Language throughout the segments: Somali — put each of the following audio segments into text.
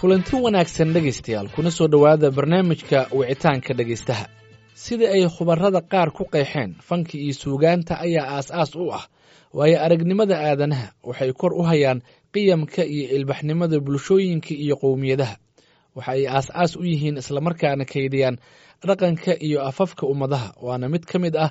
Kulanti wanaagsan dhegaystayaal, kuna soo dhowaada barnaamijka wicitaanka dhegaystaha. Sida ay khubarada qaar ku qeexeen, fanka iyo suugaanta ayaa aas-aas u ah waayo aragnimada aadanaha. Waxay kor u hayaan qiyamka iyo ilbaxnimada bulshooyinka iyo qowmiyadaha. Waxa ay aas-aas u yihiin islamarkaana kaydiyaan dhaqanka iyo afafka ummadaha, waana mid ka mid ah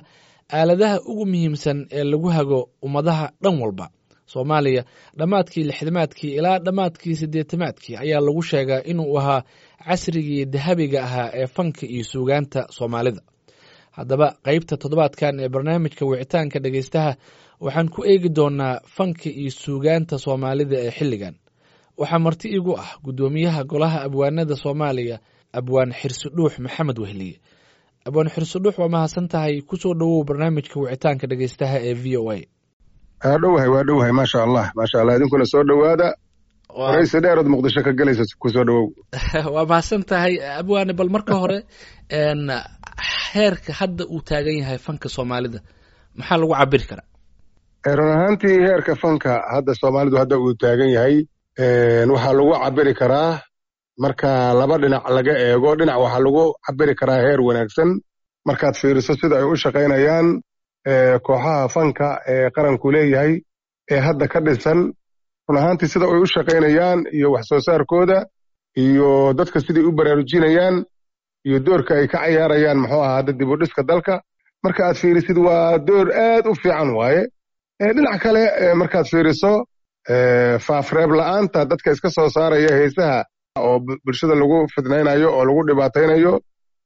aaladaha ugu muhiimsan ee lagu hago ummadaha dhan walba. Soomaaliya dhammaadkii lixdamaadkii ilaa dhammaadkii siddeetamaadkii ayaa lagu sheegaa inuu ahaa casrigii dahabiga ahaa ee fanka iyo suugaanta Soomaalida. Haddaba, qeybta toddobaadkan ee barnaamijka wicitaanka dhegaystaha waxaan ku eegi doonaa fanka iyo suugaanta Soomaalida ee xilligan. Waxaa marti igu ah guddoomiyaha Golaha Abwaanada Soomaaliya, Abwaan Xirsi Dhuux Maxamed Wehliye. Abwaan Xirsi Dhuux, waa mahadsan tahay, kusoo dhowow barnaamijka wicitaanka dhegaystaha ee VOA. Waa dhowahay, waa dhowahay, maasha Allah, maasha Allah. Idinkuna soo dhowaada. Waraysi dheerood Muqdisho ka gelaysa, kusoo dhowow. Waa mahadsan tahay, abwaane. Bal marka hore, heerka hadda uu taagan yahay fanka Soomaalida maxaa lagu cabiri karaa? Run ahaantii, heerka fanka hadda Soomaalidu hadda uu taagan yahay waxaa lagu cabiri karaa marka laba dhinac laga eego. Dhinac waxaa lagu cabiri karaa heer wanaagsan markaad fiiriso sida ay u shaqaynayaan kooxaha fanka ee qaranku leeyahay ee hadda ka dhisan. Run ahaantii, sida ay u shaqaynayaan iyo wax soo saarkooda iyo dadka siday u baraarujinayaan iyo doorka ay ka cayaarayaan, muxuu ahaa, hadda dib u dhiska dalka marka aad fiirisid, waa door aad u fiican waaye. Dhinac kale markaad fiiriso, faafreeb la'aanta dadka iska soo saaraya heesaha oo bulshada lagu fidnaynayo oo lagu dhibaataynayo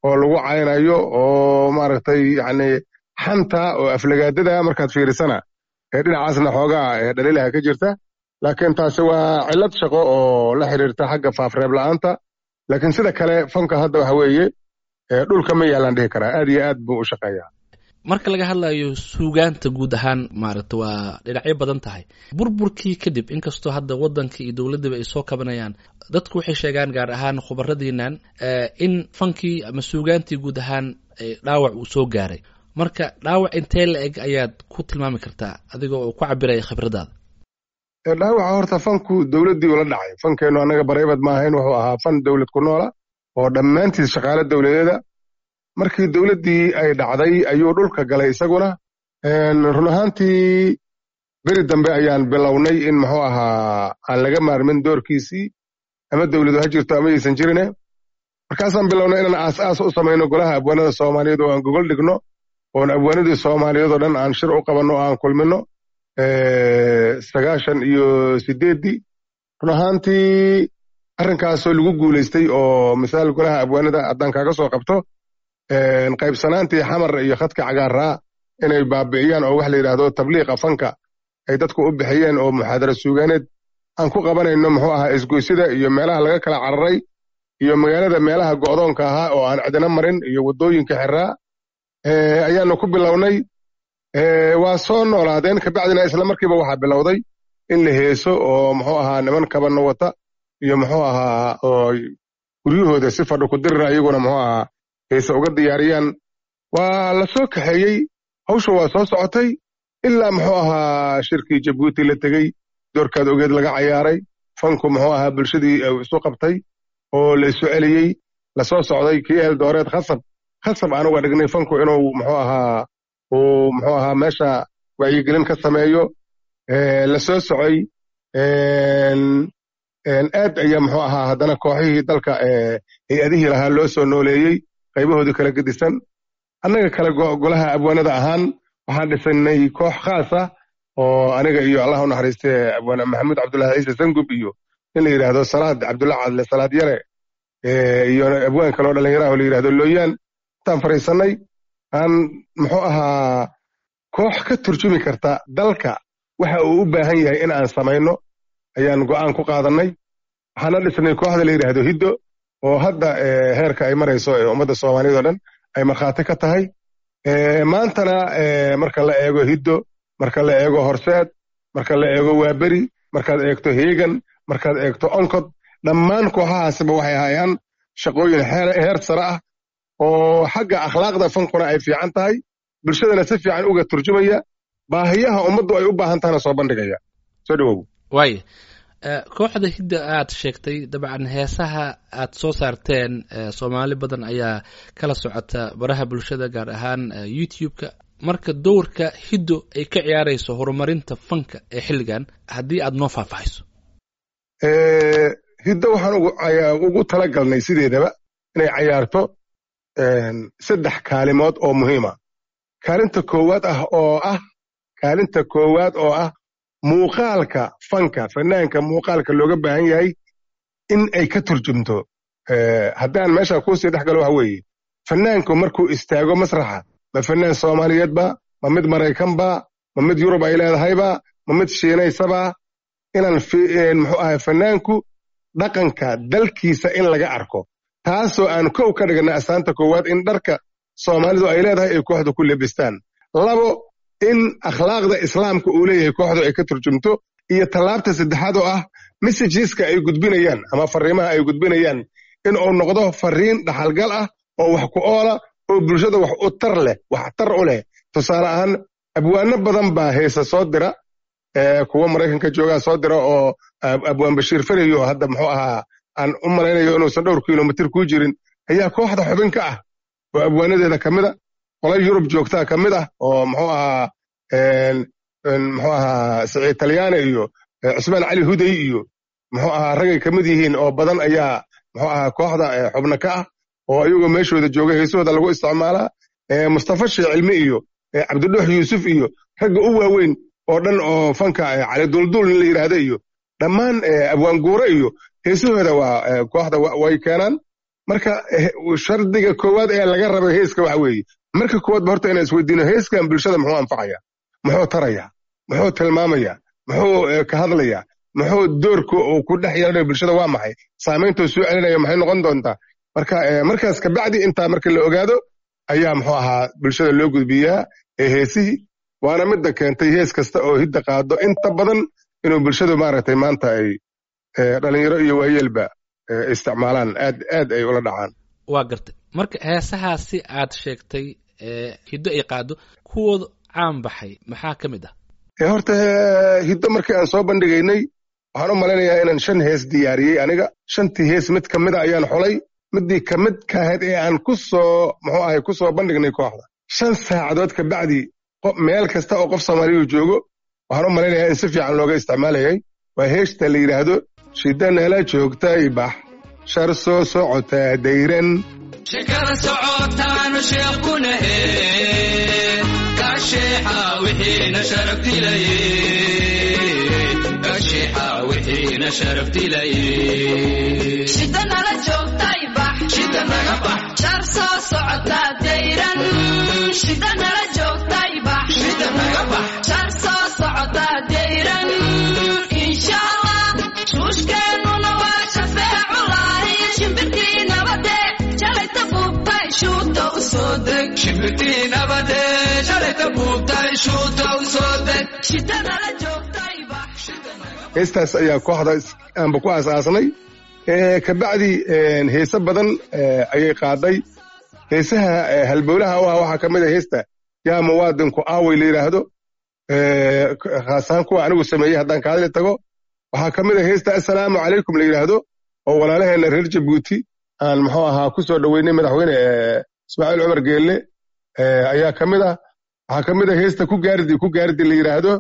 oo lagu caynayo oo maaragtay, yacni, xanta oo aflagaadada markaad fiirisana, dhinacaasna xoogaa dhaliilaha ka jirta. Laakiin taasi waa cillad shaqo oo la xiriirta xagga faafreeb la'aanta. Laakiin sida kale fanka hadda waxa weeye dhulka ma yaalaan dhihi karaa, aad iyo aad buu u shaqeeyaa. Marka laga hadlayo suugaanta guud ahaan, maaragta, waa dhinacyo badan tahay. Burburkii kadib, inkastoo hadda waddanka iyo dowladdaba ay soo kabanayaan, dadku waxay sheegaan, gaar ahaan khubaradiinan, in fankii ama suugaantii guud ahaan dhaawac uu soo gaaray. Marka dhaawac intee la eg ayaad ku tilmaami kartaa, adiga oo ku cabiraya khibradaada? Dhaawaca horta fanku dowladdii ula dhacay. Fankeennu annaga private ma ahayn, wuxuu ahaa fan dowlad ku noola oo dhammaantiis shaqaale dowladeeda. Markii dowladdii ay dhacday ayuu dhulka galay isaguna. Run ahaantii, beri dambe ayaan bilownay in, muxuu ahaa, aan laga maarmin doorkiisii, ama dowladu ha jirto ama yaysan jirine. Markaasaan bilownay inaan aas-aas u samayno Golaha Abwaanada Soomaaliyeed oo aan gogol dhigno oon abwaanadii Soomaaliyeed oo dhan aan shir u qabanno oo aan kulmino 98-dii. Run ahaantii, arrinkaasoo lagu guulaystay oo misaal Golaha Abwaanada haddaan kaaga soo qabto, qaybsanaantii Xamar iyo khadka cagaaraa inay baabi'iyaan oo wax la yidhaahdo tabliiqa fanka ay dadku u bixiyeen oo muxaadara suugaaneed aan ku qabanayno, muxuu ahaa, isgoysida iyo meelaha laga kala cararay iyo magaalada meelaha go'doonka ahaa oo aan cidina marin iyo waddooyinka xiraa ayaanu ku bilownay. Waa soo noolaadeen. Kabacdina isla markiiba waxaa bilowday in la heeso oo, muxuu ahaa, niman kabanna wata iyo, muxuu ahaa, oo guryahooda si fadhi ku dirira iyaguna, muxuu ahaa, heese uga diyaariyaan. Waa la soo kaxeeyey, hawsha waa soo socotay ilaa, muxuu ahaa, shirkii Jabuuti la tegey, doorkaad ogeed laga cayaaray. Fanku, muxuu ahaa, bulshadii isu qabtay oo la isu celiyey. Lasoo socday kii Eldoret, khasab khasab aan uga dhignay fanku inuu, muxuu ahaa, uu, muxuu ahaa, meesha wacyigelin ka sameeyo. La soo socay aad ayaa, muxuu ahaa, haddana kooxihii dalka hay-adihii lahaa loo soo nooleeyey qaybahoodii kala gedisan. Annaga kale Golaha Abwaanada ahaan waxaan dhisanay koox khaas ah oo aniga iyo, Allah u naxariiste, Abwaane Maxamuud Cabdullahi Ciise Sangub iyo nin la yidhaahdo Salaad Cabdulla Cadle, Salaad Yare, iyo abwaan kaloo dhallinyaraha oo la yidhahdo Looyaan intaan fadhiisannay aan, muxuu ahaa, koox ka turjumi karta dalka waxa uu u baahan yahay in aan samayno ayaan go'aan ku qaadannay. Waxaana dhisnay kooxda la yidhaahdo Hiddo oo hadda heerka ay marayso ee ummadda Soomaaliyeed oo dhan ay markhaati ka tahay. Maantana marka la eego Hiddo, marka la eego Horseed, marka la eego Waaberi, markaad eegto Heegan, markaad eegto Onkod, dhammaan kooxahaasiba waxay hayaan shaqooyin heer sare ah oo xagga akhlaaqda fankuna ay fiican tahay, bulshadana si fiican uga turjumaya, baahiyaha ummaddu ay u baahan tahana soo bandhigaya. Soo dhawow. Waaya. Kooxda Hidda aad sheegtay, dabcan heesaha aad soo saarteen Soomaali badan ayaa kala socota baraha bulshada, gaar ahaan YouTube-ka. Marka dowrka Hiddo ay ka ciyaarayso horumarinta fanka ee xilligan, haddii aad noo faahfaahiso. Hiddo waxaan ugu talagalnay sideedaba inay cayaarto 3 kaalimood oo muhiima. Kaalinta koowaad ah oo ah kaalinta koowaad oo ah muuqaalka fanka, fanaanka muuqaalka looga baahan yahay in ay ka turjumto. Haddaan meesha kuusii dhex galo, waxa weeye fanaanku markuu istaago masraxa, ma fanaan Soomaaliyeed ba, ma mid Maraykan ba, ma mid Yurub ay leedahayba, ma mid Shiinaysaba, inaan muxuu ahay fanaanku dhaqanka dalkiisa in laga arko, taasoo aan kow ka dhigana astaanta koowaad in dharka Soomaalidu ay leedahay ay kooxdu ku lebistaan. 2, in akhlaaqda Islaamka uu leeyahay kooxdu ay ka turjumto. Iyo tallaabta saddexaad oo ah messageska ay gudbinayaan ama fariimaha ay gudbinayaan in uu noqdo fariin dhaxalgal ah oo wax ku oola oo bulshada wax u tar leh, wax tar u leh. Tusaale ahaan, abwaano badan baa heesa soo dira, kuwa Maraykanka joogaa soo dira, oo Abwaan Bashiir Farayo hadda muxuu ahaa aan u malaynayo inuusan dhowr kilomitir ku jirin ayaa kooxda xubin ka ah oo abwaanadeeda ka mid a. Qola Yurub joogtaa ka mid ah oo muxuu ahaa Siciid Talyaane iyo Cusmaan Cali Huday iyo muxuu ahaa ragay ka mid yihiin oo badan ayaa muxuu ahaa kooxda xubno ka ah oo iyagoo meeshooda jooga heesahooda lagu isticmaalaa. Mustafa Sheekh Cilmi iyo Cabdidhuux Yuusuf iyo ragga u waaweyn oo dhan oo fanka, Cali Duldul nin la yidhaahdo iyo dhammaan Abwaan Guure iyo heesahooda waa kooxda way keenaan. Marka shardiga koowaad ee laga raba heeska waxa weeye marka koowaad ba horta inaan isweydiino: heeskan bulshada muxuu anfacaya, muxuu taraya, muxuu tilmaamaya, muxuu ka hadlaya, muxuu doorka uu ku dhex yeelanayo bulshada waa maxay, saamayntuu soo celinayo maxay noqon doontaa? Marka markaas kabacdi intaa marka la ogaado ayaa muxuu ahaa bulshada loo gudbiyaa ee heesihii. Waana midda keentay hees kasta oo Hidda qaado inta badan inuu bulshadu maaragtay maanta ay dhalinyaro iyo waayeelba isticmaalaan, aad aad ay ula dhacaan. Waa gartay. Marka heesahaasi aad sheegtay Hiddo ay qaado, kuwooda caan baxay maxaa ka mid ah? Horta Hiddo markii aan soo bandhigaynay, waxaan u malaynayaa inaan shan hees diyaariyey aniga. Shantii hees mid ka mid a ayaan xulay, midii ka mid ka ahayd ee aan ku soo muxuu ahay ku soo bandhignay kooxda. 5 saacadood ka bacdi meel kasta oo qof Soomaaliyu joogo waxaan u malaynayaa in si fiican looga isticmaalayay. Waa heeshta la yidhaahdo "Shida Nala Joogtay Bax Shar Soo Socotaa Dayran". Shekada socotaanu sheekunahe kasheexa wixiina sharaf dilaye, kasheexa wixiina sharaf dilaye. Shida nala joogtay bax. Shida naga bax. Shar soo socotaa dayran. Shida nala joogtay bax. Shida naga bax. Shar soo socotaa dayran. Insha Allah shuushkeennuna waa shafeeculahi. Shimbirtii nabade shalayta buubtay shuuta u soo deg. Shimbirtii nabade shalayta buubtay shuuta u soo deg. Shida nala joogtay bax. Heestaas ayaa kooxda aanba ku aasaasnay. Kabacdi heese badan ayay qaaday. Heesaha halbowlaha u ah waxaa ka mid a heesta "Yaa Muwaadinku Aaway" la yidhaahdo, khaas ahaan kuwa anigu sameeyey haddaan ka hadli tago. Waxaa ka mid a heesta "Assalaamu Calaykum" la yidhaahdo oo walaalaheenna reer Jabuuti aan muxuu ahaa ku soo dhoweynay madaxweyne Ismaaciil Cumar Geelle ayaa ka mid ah. Waxaa ka mid a heesta "Ku Gaardi Ku Gaardi" la yidhaahdo.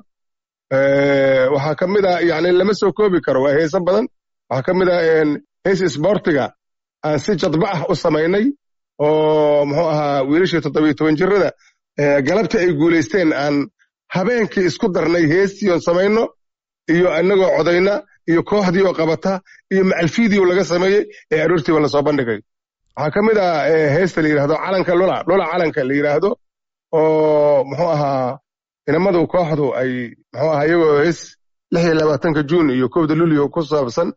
Waxaa ka mid ah, yani lama soo koobi karo, waa heese badan. Waxaa ka mid ah hees isboortiga aan si jadba ah u samaynay oo muxuu ahaa wiilashii 17 jirada galabtii ay guulaysteen aan habeenkii isku darnay heestii oon samayno iyo inagoo codayna iyo kooxdii oo qabata iyo macalfiidii laga sameeyey ee aroortiiba lasoo bandhigay. Waxaa ka mid ah heesta la yidhahdo "Calanka Lula Lula Calanka" la yidhaahdo oo muxuu ahaa inamadu kooxdu ay muxuu ahaa iyagoo hees 26-ka Juun iyo 1-da Luulyo ku saabsan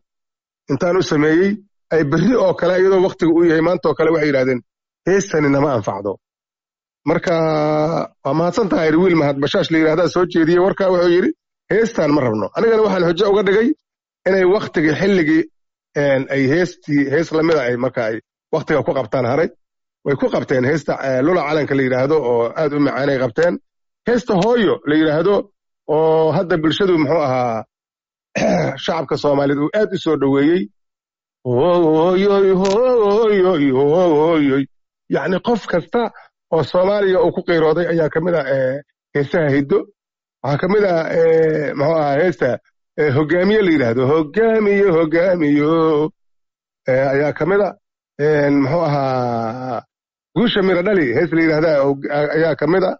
intaan u sameeyey ay berri oo kale, iyadoo waktiga uu yahay maanta oo kale, waxay yidhahdeen heestani nama anfacdo. Marka waa mahadsan tahay, wiil Mahad Bashaash la yidhahdaa soo jeediyey warkaa. Wuxuu yidhi heestaan ma rabno. Anigana waxaan xujo uga dhigay inay waktigii xilligii ay heestii hees lamida ay marka ay waktiga ku qabtaan haray. Way ku qabteen heesta "Lula Calanka" la yidhaahdo oo aad u macaanay qabteen. Heesta "Hooyo" la yidhaahdo oo hadda bulshadu muxuu ahaa Shacabka Soomaaliyeed uu aad u soo dhoweeyey. Hooyoy hooyoy hooyoy, yacni qof kasta oo Soomaaliya uu ku qiirooday ayaa ka mid ah heesaha hiddo. Waxaa ka mid ah muxuu ahaa heesta hogaamiye la yidhaahdo, hogaamiye hogaamiyo ayaa ka mid a. Muxuu ahaa guusha mira dhali hees la yidhahda ayaa ka mid a.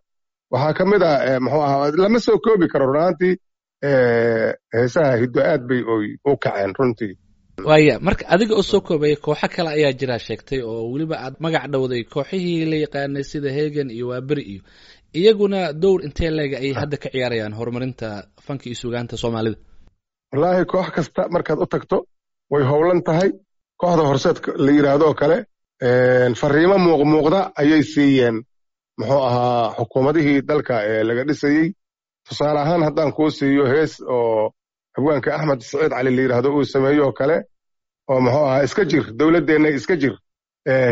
Waxaa ka mid a muxuu ahaa, lama soo koobi karo run ahaantii. Heesaha hiddo aad bay oy u kaceen runtii. Waaya, marka adiga oo soo koobaya, kooxo kale ayaa jira sheegtay oo weliba aad magac dhowday, kooxihii la yaqaanay sida Hegan iyo Waaberi, iyo iyaguna dowr intee leega ayay hadda ka ciyaarayaan horumarinta fanka iyo suugaanta Soomaalida? Wallaahi, koox kasta markaad u tagto way howlan tahay. Kooxda Horseed la yidhaahdo oo kale fariimo muuqmuuqda ayay siiyeen muxuu ahaa xukuumadihii dalka ee laga dhisayey. Tusaale ahaan, haddaan kuu siiyo hees oo abwaanka Axmed Saciid Cali la yidhaahdo uu sameeyo oo kale, oo muxuu ahaa "Iska jir dowladdeenna, iska jir,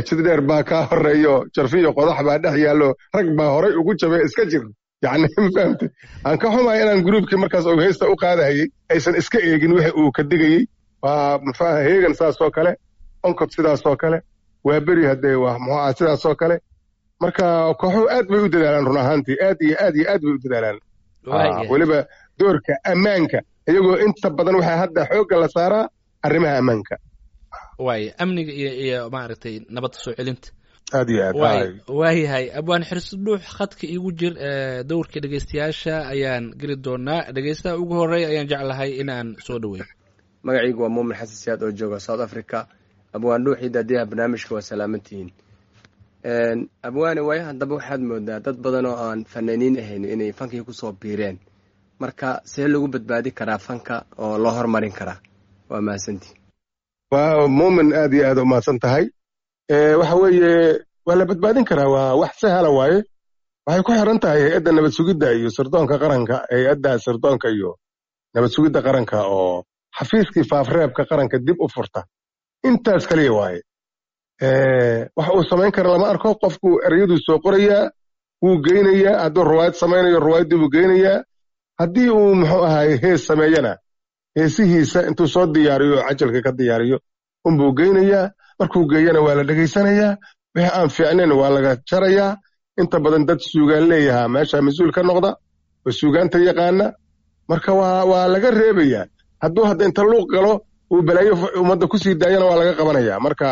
jid dheer baa kaa horreeyo, jarfiyo qodax baa dhex yaallo, rag baa horay ugu jabay, iska jir." Yacni ma fahamtay? Aan ka xumahay inaan gruubkii markaas uu heesta u qaadahayey aysan iska eegin wixii uu ka digayey. Waa muxuu ahaa Heegan saasoo kale, Onkod sidaasoo kale, waa beri haddee waa muxuu ahaa sidaasoo kale. Marka kooxuhu aad bay u dadaalaan run ahaantii, aad iyo aad iyo aad bay u dadaalaan. Weliba doorka ammaanka iyagoo inta badan waxaa hadda xoogga la saaraa arrimaha ammaanka. Waaya, amniga iyo maaragtay nabadda soo celinta. Aad iyo aad. Waayahay, abwaan Xirsudhuux, khadka iigu jir. Dowrka dhegeystayaasha ayaan geli doonaa. Dhegeystaha ugu horeeya ayaan jeclahay in aan soo dhaweeyo. Magacaygu waa Muumin Xasan Siyaad oo jooga South Africa. Abwaan Dhuuxii, daadiyaha barnaamijka, waa salaamantihiin. Abwaane, waayahan dambe waxaad moodaa dad badan oo aan fanaaniin ahayn inay fankii kusoo biireen. Marka see lagu badbaadi karaa fanka oo loo hormarin karaa? Waa mahadsantii. Waa Muumin, aad iyo aad u mahadsan tahay. Waxa weeye, waa la badbaadin karaa, waa wax sahla waaye. Waxay ku xiran tahay hay-adda nabad sugidda iyo sirdoonka qaranka, hay-adda sirdoonka iyo nabad sugidda qaranka oo xafiiskii faafreebka qaranka dib u furta. Intaas kaliya waaye. Wax uu samayn kara lama arko. Qofku ereyaduu soo qorayaa, wuu geynayaa. Hadduu ruwaayad samaynayo, ruwaayaddii buu geynayaa. Haddii uu muxuu ahaay hees sameeyana, heesihiisa intuu soo diyaariyo oo cajalka ka diyaariyo unbuu geynayaa. Markuu geeyana waa la dhegaysanayaa, wixii aan fiicnayn waa laga jarayaa. Inta badan dad suugaan leeyahaa meesha mas-uul ka noqda oo suugaanta yaqaana. Marka waa laga reebayaa. Hadduu hadda inta luuq galo uu balaayo ummadda kusii daayana, waa laga qabanayaa. Marka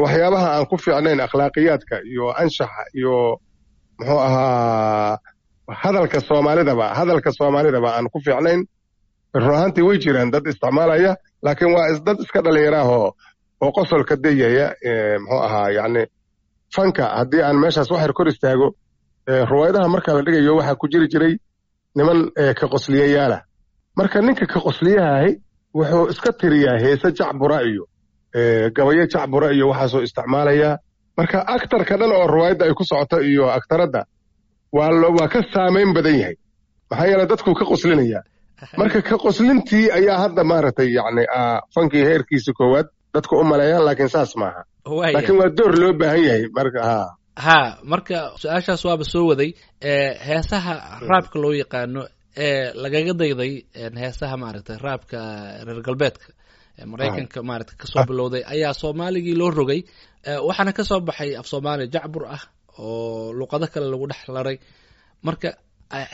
waxyaabaha aan ku fiicnayn akhlaaqiyaadka iyo anshaxa iyo muxuu ahaa hadalka Soomaalidaba, hadalka Soomaalidaba aan ku fiicnayn, run ahaantii way jiraan dad isticmaalaya, laakiin waa dad iska dhalinyaraahoo oo qosolka dayaya. Muxuu ahaa, yacni fanka haddii aan meeshaas waxyar kor istaago, ruwaayadaha marka la dhigayo waxaa ku jiri jiray niman ka qosliyayaala. Marka ninka ka qosliyahahi wuxuu iska tiriyaa heese jacbura iyo gabayo jacbura iyo waxaasoo isticmaalayaa. Marka aktarka dhan oo ruwaayadda ay ku socoto iyo aktaradda waa ka saamayn badan yahay, maxaa yeele dadkuu ka qoslinaya. Marka ka qoslintii ayaa hadda maaragtay yacni fankii heerkiisa koowaad dadku u maleeyaan, laakiin saas maaha. Laakiin waa door loo baahan yahay marka ha. Ha, marka su-aashaas waaba soo waday. Heesaha raabka loo yaqaano ee lagaga dayday heesaha maaragtay raabka reer galbeedka, Maraykanka maaragtay kasoo bilowday, ayaa Soomaaligii loo rogay. Waxaana kasoo baxay af Soomaaliya jacbur ah oo luqado kale lagu dhex laray. Marka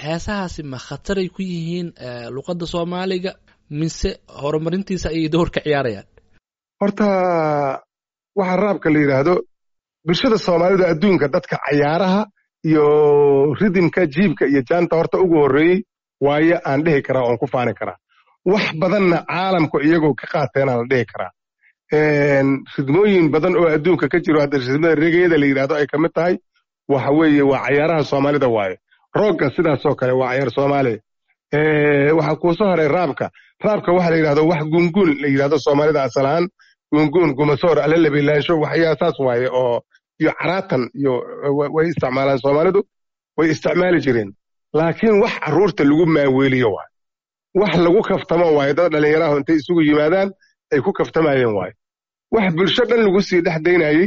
heesahaasi ma khataray ku yihiin luqadda Soomaaliga mise horumarintiisa ayay door ka ciyaarayaan? Horta waxa raabka la yidhaahdo, bulshada Soomaalida adduunka dadka cayaaraha iyo ridimka jiibka iyo jaanta horta ugu horreeyey waayo aan dhihi karaa oon ku faani karaa. Wax badanna caalamku iyagoo ka qaateenaa la dhihi karaa. Ridmooyin badan oo adduunka ka jiro, hadda ridmada regeyada la yidhahdo ay ka mid tahay, waxa weeye waa cayaaraha Soomaalida waaye. Roogga sidaasoo kale waa cayaar Soomaaliya. Waxaa kuu soo haray raabka. Raabka waxa la yidhahdo wax gunguun la yidhahdo Soomaalida asal ahaan, gunguun, gumasoor, alalabilaansho, waxyaa saas waaye oo iyo caraatan iyo way isticmaalaan Soomaalidu, way isticmaali jireen. Laakiin wax carruurta lagu maaweeliyo waaye, wax lagu kaftamo waaye, dad dhallinyarahu intay isugu yimaadaan ay ku kaftamayeen waaye. Wax bulsho dhan lagu sii dhex daynayey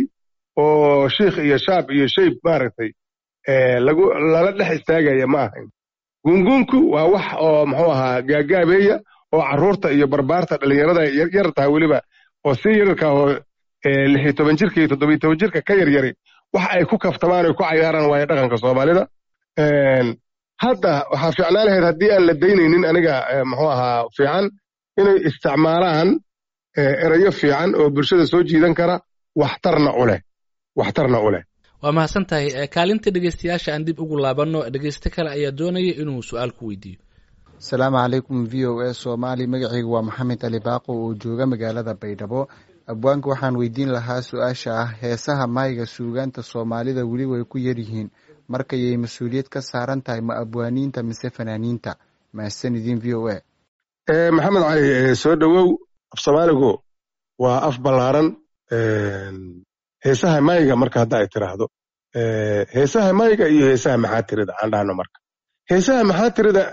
oo shiikh iyo shaab iyo shayb maaragtay lagu lala dhex istaagaya ma ahayn. Gunguunku waa wax oo muxuu ahaa gaagaabeeya Oo carruurta iyo barbaarta dhalinyarada yar taha weliba oo si yararka oo 16 jirka iyo 17 jirka ka yaryari wax ay ku kaftamaan oy ku cayaaraan waayo dhaqanka Soomaalida. Hadda waxaa fiicnaan lahayd haddii aan la daynaynin, aniga muxuu ahaa, fiican inay isticmaalaan erayo fiican oo bulshada soo jiidan kara, waxtarna u leh, waxtarna u leh. Waa mahadsan tahay. Kaalinta dhegeystayaasha aan dib ugu laabanno. Dhegeyste kale ayaa doonaya inuu su-aal ku weydiiyo. Asalaamu calaykum VOA Soomaali. Magacaygu waa Maxamed Ali Baaqo oo jooga magaalada Baydhabo. Abwaanka waxaan weydiin lahaa su-aasha ah: heesaha mayga suugaanta Soomaalida weli way ku yaryihiin, markayay mas-uuliyad ka saaran tahay, ma abwaaniinta mise fanaaniinta? Mahadsan idin VOA. Maxamed Cali, soo dhowow. Af Soomaaligu waa af ballaaran. Heesaha mayga marka hadda ay tiraahdo, heesaha mayga iyo heesaha maxaa tirida aan dhahno, marka heesaha maxaa tirida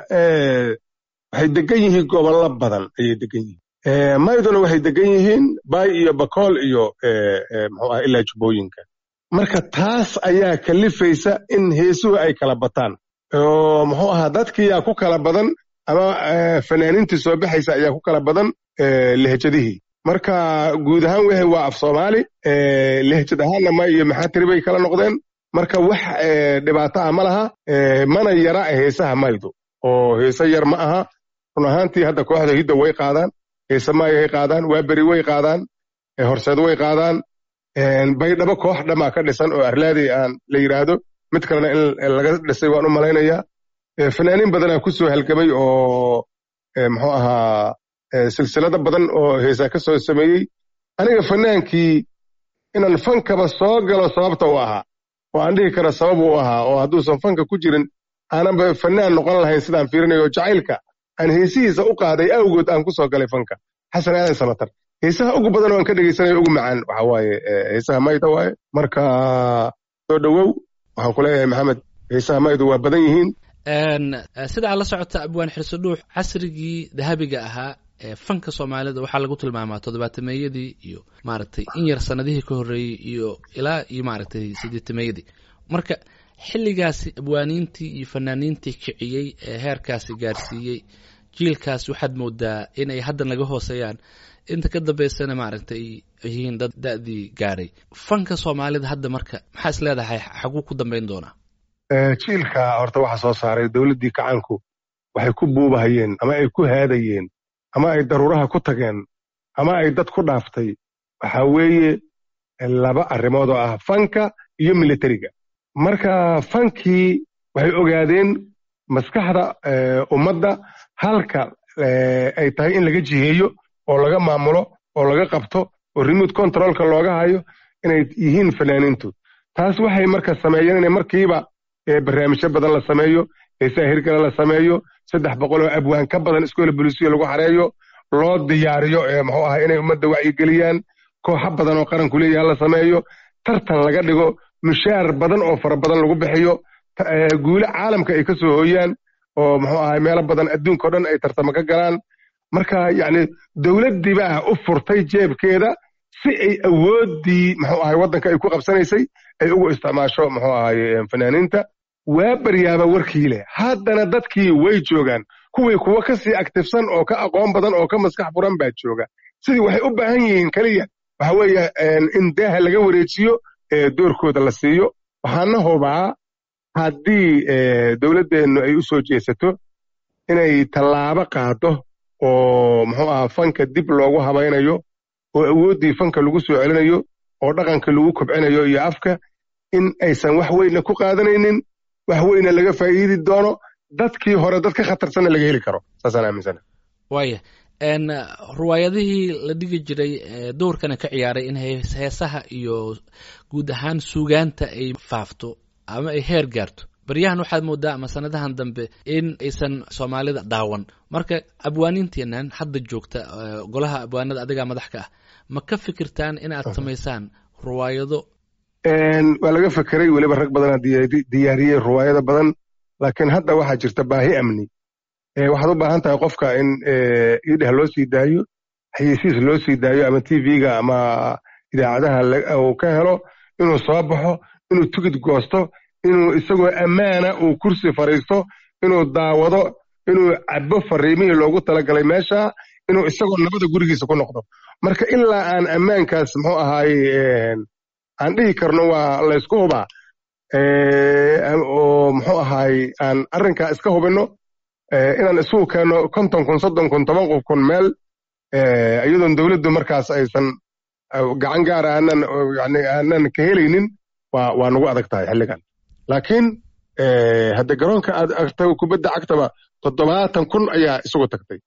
waxay degan yihiin gobollo badan ayay degan yihiin. Mayduna waxay degan yihiin Baay iyo Bakool iyo muxuu ah ilaa Jubbooyinka. Marka taas ayaa kalifaysa in heesuhu ay kala bataan, oo muxuu ahaa, dadkiyaa ku kala badan ama fanaaniintii soo baxaysa ayaa ku kala badan lehjadihii. Marka guud ahaan wixii waa af Soomaali, lehjad ahaanna may iyo maxaa tiri bay kala noqdeen. Marka wax dhibaato ah ma laha, mana yara heesaha maydu, oo heese yar ma aha run ahaantii. Hadda kooxda Hidda way qaadaan heese maayay qaadaan, Waa Beri way qaadaan, Horseed way qaadaan, Baydhabo koox dhamaa ka dhisan oo Arlaadey aan la yidhaahdo, mid kalena in laga dhisay waan u malaynayaa. Fanaaniin badanaa ku soo halgamay oo muxuu ahaa, silsilado badan oo heesaa ka soo sameeyey. Aniga fanaankii inaan fankaba soo galo sababta u ahaa, oo aan dhihi karo sabab u ahaa, oo hadduusan fanka ku jirin aananba fanaan noqon lahayn sidaan fiirinayo, jacaylka aan heesihiisa u qaaday awgood aan ku soo galay fanka, Xasan Aadan Samatar. Heesaha ugu badan oo aan ka dhegaysanayo ugu macaan waxa waaye heesaha mayda waaye. Marka soo dhowow, waxaan ku leeyahay Maxamed, heesaha maydu waa badan yihiin. Sida aad la socota, Abwaan Xirso Dhuux, casrigii dahabiga ahaa ee fanka Soomaalida waxaa lagu tilmaamaa toddobaatameyadii iyo maaragtay in yar sanadihii ka horreeyey iyo ilaa iyo maaragtay siddeetameeyadii. Marka xilligaasi abwaaniintii iyo fanaaniintii kiciyey ee heerkaasi gaarsiiyey jiilkaas waxaad moodaa inay hadda naga hooseeyaan, inta ka dambeysana maaragtay yihiin dad da-dii gaaray fanka Soomaalida hadda. Marka maxaa is leedahay, xaguu ku dambeyn doonaa? Jiilka horta waxa soo saaray dowladdii kacaanku. Waxay ku buubahayeen ama ay ku haadayeen ama ay daruuraha ku tageen ama ay dad ku dhaaftay waxaa weeye laba arrimood oo ah fanka iyo militariga. Marka fankii waxay ogaadeen maskaxda ummadda halka ay tahay in laga jiheeyo oo laga maamulo oo laga qabto oo remote controlka looga hayo inay yihiin fanaaniintu. Taas waxay marka sameeyeen inay markiiba barnaamijyo badan la sameeyo, heesaha hirgala la sameeyo, 300 oo abwaan ka badan iskoola bolisiyo lagu xareeyo, loo diyaariyo muxuu ahaa, inay ummadda wacyigeliyaan, kooxo badan oo qaranku leeyaha la sameeyo, tartan laga dhigo, mushaar badan oo fara badan lagu bixiyo, guulo caalamka ay ka soo hooyaan oo muxuu ahay, meelo badan adduunka o dhan ay tartamo ka galaan. Marka yacni dowladdii baa u furtay jeebkeeda si ay awooddii muxuu ahay waddanka ay ku qabsanaysay ay ugu isticmaasho muxuu ahay fanaaniinta. Waa baryaaba warkii leh, haddana dadkii way joogaan, kuwii kuwa ka sii active-san oo ka aqoon badan oo ka maskax furan baa jooga. Sidii waxay u baahan yihiin keliya waxa weeye in daaha laga wareejiyo, doorkooda la siiyo. Waxaana hubaa haddii dowladdeennu ay u soo jeesato inay tallaabo qaado oo muxuu ahaa, fanka dib loogu habaynayo oo awooddii fanka lagu soo celinayo oo dhaqanka lagu kobcinayo iyo afka, in aysan wax weynna ku qaadanaynin, wax weyna laga faa'iidi doono, dadkii hore dad ka khatarsanna laga heli karo. Saasaan aaminsana. Waaya, ruwaayadihii la dhigi jiray doorkana ka ciyaaray in heesaha iyo guud ahaan suugaanta ay faafto ama ay heer gaarto, baryahan waxaad moodaa ama sanadahan dambe in aysan Soomaalida daawan. Marka abwaaniinteenan hadda joogta, golaha abwaanada adigaa madax ka ah, ma ka fikirtaan inaad samaysaan ruwaayado? Waa laga fekeray, weliba rag badanaa diyaariyey ruwaayado badan, laakiin hadda waxaa jirta baahi amni. Waxaad u baahan tahay qofka in idheh loo sii daayo, xayeysiis loo sii daayo, ama TV-ga ama idaacadaha uu ka helo, inuu soo baxo, inuu tigid goosto, inuu isagoo ammaana uu kursi fadhiisto, inuu daawado. inuu cabo fariimihii loogu talagalay meesha, inuu isagoo nabada gurigiisa ku noqdo. Marka ilaa aan ammaankaas muxuu ahaaye aan dhihi karno waa laysku hubaa oo muxuu ahaay aan arrinkaa iska hubinno, inaan isugu keenno 50,000, 30,000, 10,000 meel iyadoon dowladdu markaas aysan gacan gaara aanan yani aanan ka helaynin waa nagu adag tahay xilligan. Laakiin hadda garoonka aad aragtay kubadda cagtaba 70,000 ayaa isugu tagtay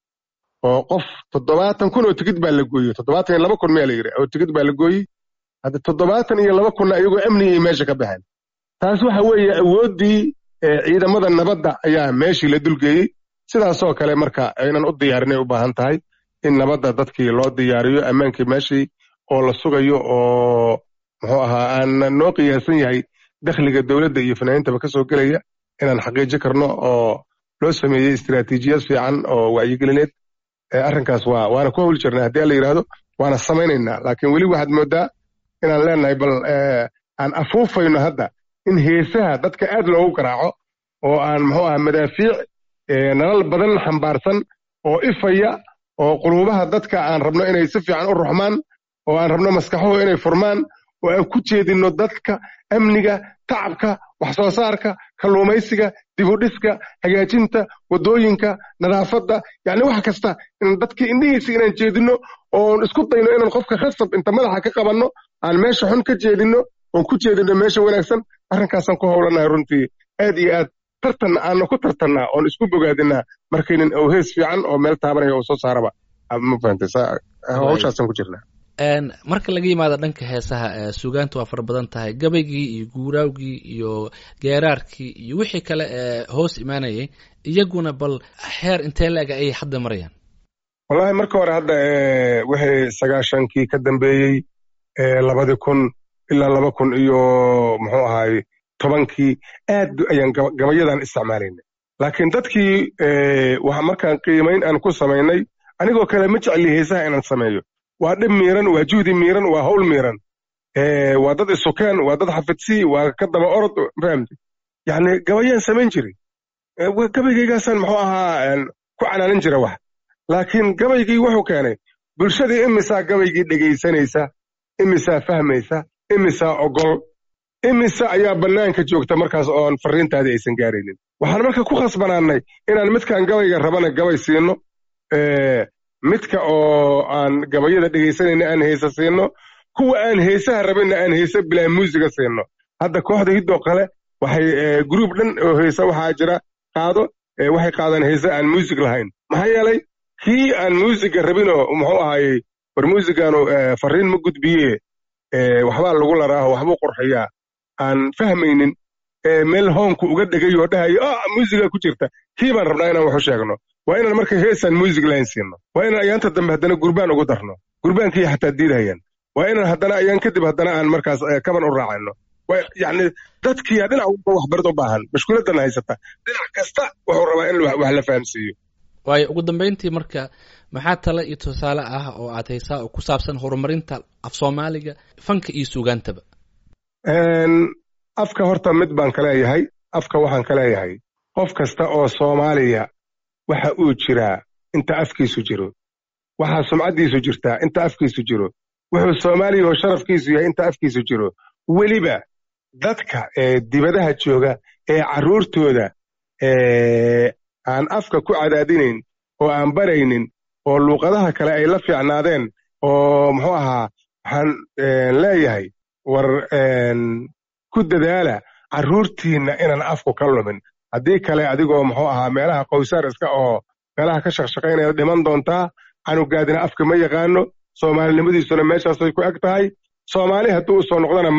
oo qof, 70,000 oo tigid baa la gooyey, 72,000 miyaa la yidhi oo tigid baa la gooyey. Hadda 72,000-na iyagoo amnigii meesha ka baxeen. Taas waxa weeye awooddii ciidamada nabadda ayaa meeshii la dulgeeyey. Sidaasoo kale marka inaan u diyaarinay u baahan tahay in nabadda dadkii loo diyaariyo, ammaankii meeshii oo la sugayo oo muxuu ahaa aan noo qiyaasan yahay dakhliga dowladda iyo fanaaniintaba ka soo gelaya inaan xaqiijin karno oo loo sameeyey istiraatiijiyad fiican oo wacyigelineed. Arrinkaas waana ku hawl jirnaa haddii alla yidhaahdo, waana samaynaynaa. Laakiin weli waxaad moodaa inaan leenahay bal aan afuufayno hadda in heesaha dadka aad loogu garaaco oo aan muxuu ahaa madaafiic nalal badan xambaarsan oo ifaya oo quluubaha dadka aan rabno inay si fiican u ruxmaan oo aan rabno maskaxuhu inay furmaan oo aan ku jeedinno dadka amniga, tacabka, wax soo saarka, kalluumaysiga, dib u dhiska, hagaajinta waddooyinka, nadaafadda, yacni wax kasta in dadka indhihiisa inaan jeedinno oon isku dayno inaan qofka khasab inta madaxa ka qabanno aan meesha xun ka jeedinno oon ku jeedinno meesha wanaagsan. Arrinkaasaan ku howlanahay runtii aad iyo aad, tartan aanu ku tartannaa oon isku bogaadinaa markaynin oo hees fiican oo meel taabanaya oo soo saaraba, ma fahantay? Hawshaasaan ku jirnaa. Marka laga yimaado dhanka heesaha, suugaanta waa fara badan tahay, gabaygii iyo guuraawgii iyo geeraarkii iyo wixii kale ee hoos imaanayay, iyaguna bal xeer intee la-eg ayay hadda marayaan? Wallahi marka hore hadda wixii 90-kii ka dambeeyey, 2000 ilaa 2000 iyo muxuu ahaay 10-kii aad ayaan gabayadan isticmaalaynay. Laakiin dadkii waxa markaan qiimayn aan ku samaynay, anigoo kale ma jecli heesaha inaan sameeyo. Waa dhib miiran, waa juhdi miiran, waa hawl miiran, waa dad isukeen, waa dad xafidsii, waa ka daba orod, fahamti? Yacni gabayaan samayn jiray, gabaygaygaasaan muxuu ahaa ku canaanin jira wax. Laakiin gabaygii wuxuu keenay bulshadii imisaa gabaygii dhegaysanaysa, imisaa fahmaysa, imisaa ogol, imise ayaa bannaanka joogta markaas oon farriintaadii aysan gaaraynin. Waxaan marka ku khasbanaannay inaan midkaan gabayga rabana gabay siino, midka oo aan gabayada dhegaysanayna aan heesa siino, kuwa aan heesaha rabinna aan heesa bilaa muusiga siino. Hadda kooxda hiddoo kale waxay gruub dhan oo heesa waxaa jira qaado, waxay qaadaan heesa aan muusig lahayn. Maxaa yeelay kii aan muusiga rabinoo muxuu ahaayey war muusigaanu farriin ma gudbiye, waxbaa lagu laraaho, waxbuu qurxiyaa, aan fahmaynin meel hoonku uga dhegay oo dhahayo muusigaa ku jirta, kii baan rabnaa inaan waxu sheegno. Waa inaan marka heesaan muusig lahayn siino, waa inaan ayaanta dambe haddana gurbaan ugu darno, gurbaankii xataa diidahayaan, waa inaan haddana ayaan kadib haddana aan markaas kaban u raacayno. Yacni dadkiyaa dhinac walba waxbarid u baahan, mashkuuladana haysata dhinac kasta wuxuu rabaa in wax la fahamsiiyo. Waayo ugu dambeyntii marka maxaa tale iyo tusaale ah oo aad haysaa oo ku saabsan horumarinta af Soomaaliga, fanka iyo suugaantaba? Afka horta mid baan ka leeyahay. Afka waxaan ka leeyahay qof kasta oo Soomaaliya waxa uu jiraa inta afkiisu jiro, waxaa sumcaddiisu jirtaa inta afkiisu jiro, wuxuu Soomaaliya oo sharafkiisu yahay inta afkiisu jiro. Weliba dadka ee dibadaha jooga ee carruurtooda aan afka ku cadaadinayn oo aan baraynin oo luuqadaha kale ay la fiicnaadeen oo muxuu ahaa, waxaan leeyahay war ku dadaala carruurtiinna inaan afku ka lumin. Haddii kale adigoo muxuu ahaa meelaha qowsaar iska oo meelaha ka shaqshaqaynaya dhiman doontaa. Canugaadina afka ma yaqaano, soomaalinimadiisuna meeshaasay ku eg tahay. Soomaali hadduu u soo noqdana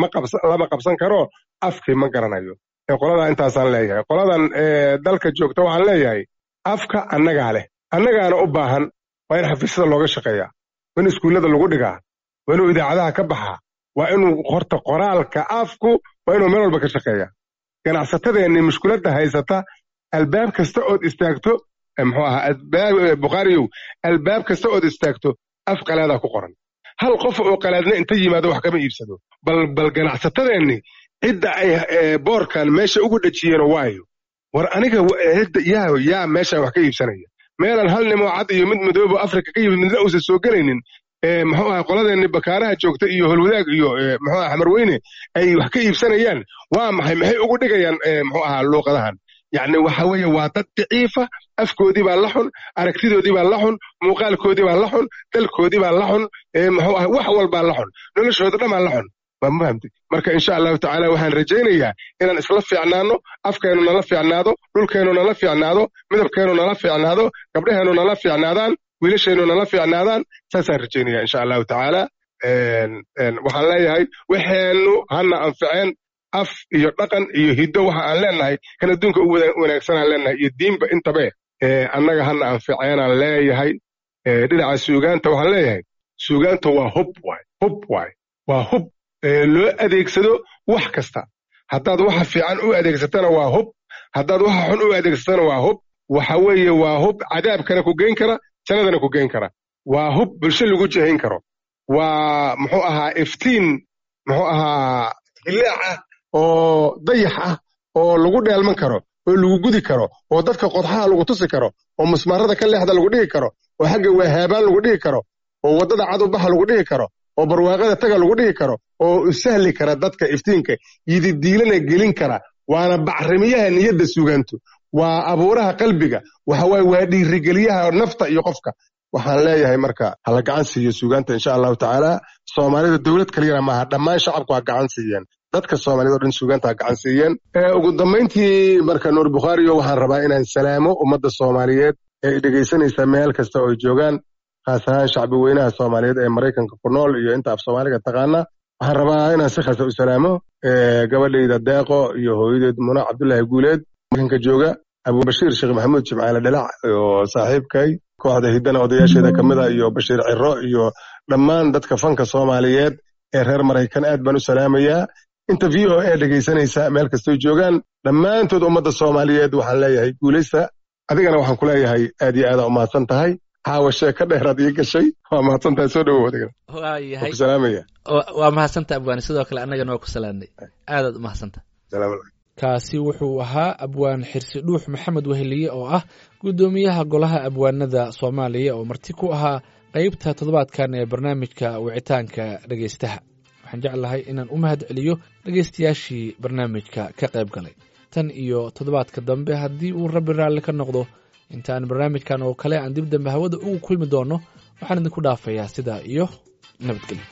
lama qabsan karo, afkii ma garanayo. Qoladaa intaasaan leeyahay. Qoladan dalka joogta waxaan leeyahay afka annagaa leh, annagaana u baahan. Waa in xafiisyada looga shaqeeyaa, waa in iskuullada lagu dhigaa, waa inuu idaacadaha ka baxaa, waa inuu horta qoraalka afku waa inuu meel walba ka shaqeeyaa. Ganacsatadeenni mushkuladda haysata, albaab kasta ood istaagto muxuu ahaa Bukhaariyow, albaab kasta ood istaagto af qalaadaa ku qoran. Hal qof oo qalaadna inta yimaado wax kama iibsado. Bal ganacsatadeenni cidda ay boorkan meesha ugu dhejiyeen waayo. War aniga cidda yaa meeshaan wax ka iibsanaya, meelaan hal nimoo cad iyo mid madoobo Afrika ka yimid midna uusan soo gelaynin, muxuu ahaa, qoladeenni Bakaaraha joogta iyo Holwadaag iyo muxuu aha Xamarweyne ay wax ka iibsanayaan, waa maxay? Maxay ugu dhigayaan muxuu ahaa luuqadahan? Yacni waxa weeye waa dad daciifa, afkoodii baa la xun, aragtidoodii baa la xun, muuqaalkoodii baa la xun, dalkoodii baa la xun, muxuu aha, wax walbaa la xun, noloshooda dhan baa la xun. Waa ma fahamtay? Marka insha Allahu tacaala waxaan rajaynayaa inaan isla fiicnaano, afkeennu nala fiicnaado, dhulkeennu nala fiicnaado, midabkeennu nala fiicnaado, gabdhaheennu nala fiicnaadaan, wiilasheennu nala fiicnaadaan. Saasaan rajaynaya insha Allahu tacaala. Waxaan leeyahay waxeennu hana anficeen, af iyo dhaqan iyo hiddo waxa aan leenahay kan adduunka ugu wanaagsanaan leenahay iyo diinba intabe, annaga hana anficeenaan leeyahay. Dhinaca suugaanta waxaan leeyahay, suugaanta waa hub waay, hub waay, waa hub loo adeegsado wax kasta. Haddaad waxa fiican u adeegsatana waa hub, haddaad waxa xun u adeegsatana waa hub. Waxa weeye waa hub cadaabkana ku geyn kara, jannadana ku geyn kara. Waa hub bulsho lagu jihayn karo. Waa muxuu ahaa iftiin, muxuu ahaa hilaac ah oo dayax ah oo lagu dheelman karo oo lagu gudi karo oo dadka qodxaha lagu tusi karo oo musmaarada ka leexda lagu dhihi karo oo xagga wahaabaan lagu dhihi karo oo waddada cad u baxa lagu dhihi karo oo barwaaqada taga lagu dhihi karo oo sahli kara dadka iftiinka yididiilana gelin kara. Waana bacrimiyaha niyadda suugaantu, waa abuuraha qalbiga, waxa waaye waa dhiirigeliyaha nafta iyo qofka. Waxaan leeyahay marka hala gacan siiyo suugaanta insha Allahu tacaala. Soomaalida dowlad kaliyana maaha, dhammaan shacabku ha gacan siiyeen, dadka Soomaalida oo dhan suugaanta ha gacan siiyeen. Ugu dambayntii marka, Nuur Bukhaariyo, waxaan rabaa inaan salaamo ummadda Soomaaliyeed ee dhegaysanaysa meel kasta oo ay joogaan, khaas ahaan shacbi weynaha Soomaaliyeed ee Maraykanka ku nool iyo inta af Soomaaliga taqaana. Waxaan rabaa inaan si khaasa u salaamo gabadhayda Deeqo iyo hooyadeed Muna Cabdullaahi Guuleed Maraykanka jooga, Abubashiir Sheekh Maxamuud Jimcaale Dhalac oo saaxiibkay kooxda Hiddana odayaasheeda ka mid a, iyo Bashiir Ciro iyo dhammaan dadka fanka Soomaaliyeed ee reer Maraykan aad baan u salaamayaa. Inta VOA dhegaysanaysa meel kastoy joogaan, dhammaantood ummadda Soomaaliyeed waxaan leeyahay guulaysta. Adigana waxaan ku leeyahay aad iyo aada umahadsan tahay. Caawa sheeko dheeraad ii gashay, waa mahadsan tahay, soo dhawow adigana. Waayahay. Ku salaamaya. Waa mahadsanta abwaani, sidoo kale annagana waa ku salaamnay, aadaad u mahadsanta. Kaasi wuxuu ahaa Abwaan Xirsi Dhuux Maxamed Weheliye oo ah guddoomiyaha Golaha Abwaanada Soomaaliya oo marti ku ahaa qeybta toddobaadkan ee barnaamijka wicitaanka dhegaystaha. Waxaan jeclahay inaan u mahad celiyo dhegaystayaashii barnaamijka ka qayb galay. Tan iyo toddobaadka dambe haddii uu Rabbi raalli ka noqdo, intaan barnaamijkan oo kale aan dib dambe hawada ugu kulmi doono, waxaan idinku dhaafayaa sidaa iyo nabadgelyo.